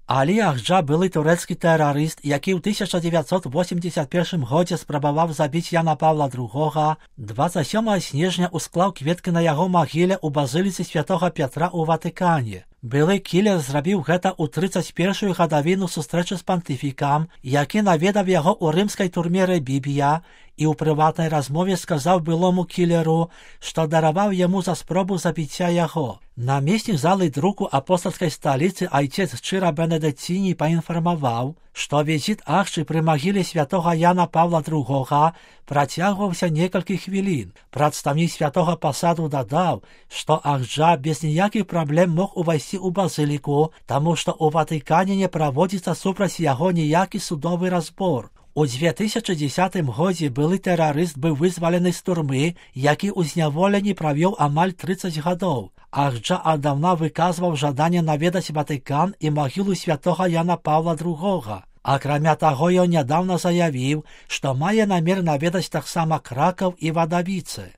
Алі Ахджа былы турэцкі тэрарыст, які ў 1981 годзе спрабаваў забіць Яна Павла II. 27 снежня усклаў кветкі на яго магіле ў базыліцы святога Пятра ў Ватыкане. Былы кілер зрабіў гэта ў 31-ю гадавіну сустрэчы з пантыфікам, які наведаў яго ў рымскай турме Ребібія і ў прыватнай размове сказаў былому кілеру, што дараваў яму за спробу забіцця яго. Намеснік залы друку апостольскай сталіцы айцец Чыра Бенедыціні паінфармаваў, што візіт Ахджы пры магіле святога Яна Павла II працягваўся некалькі хвілін. Прадстаўнік святога пасаду дадаў, што Ахджа без ніякіх праблем мог увайсці ў базыліку, таму што ў Ватыкане не праводзіцца супраць яго ніякі судовы разбор. У 2010 годзе былы тэрарыст быў вызвалены з турмы, які ў зняволенні правёў амаль 30 гадоў. Ахджа аддаўна выказваў жаданне наведаць Ватыкан і магілу святога Яна Павла II. Акрамя таго, ён нядаўна заявіў, што мае намер наведаць таксама Кракаў і Вадавіцы.